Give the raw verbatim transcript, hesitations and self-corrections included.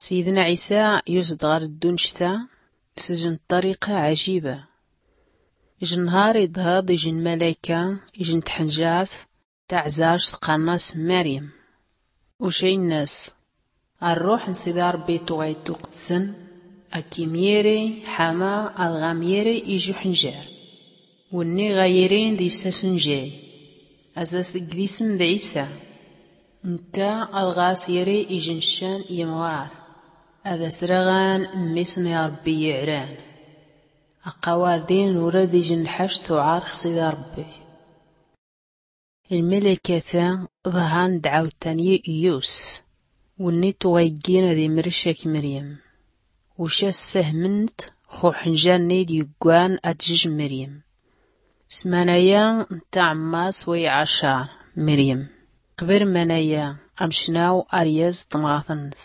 Sidna ɛisa yus-d ɣar ddunct-a s-ijn ṭṭariqa ɛjiba. Ijn nhar iḍhad ijn malayka, ijn tḥnjart taɛzart qqarn-as maryam. Uca innas, rruḥ n-sidi ṛebbi tuɣay tuqdsn, ak-imyiri ḥama ad ɣ-amyiri ij uḥnjar. Wunni ɣa yirin d-issasnjay, az-as-tgdism d ɛisa. Ntta ad ɣa-as-yiri ijn ccan imɣar, ad-as-raɣan mmisn i ṛebbi iɛran. Aqawar din ura d-ijn lḥac tuɛar x-sidi ṛebbi. Lmalaykat-a ḍhan dɛawt-an i yusf, wunni tuɣay ggin ad-imrc ak-mryam. Uca sfahmn-t x-uḥnjar-nni d-yuggan ad-tjj mryam. S-manaya n-taɛmmas way ɛacar mryam, qbr manaya amcnaw ar-yaz tmɣat-nns.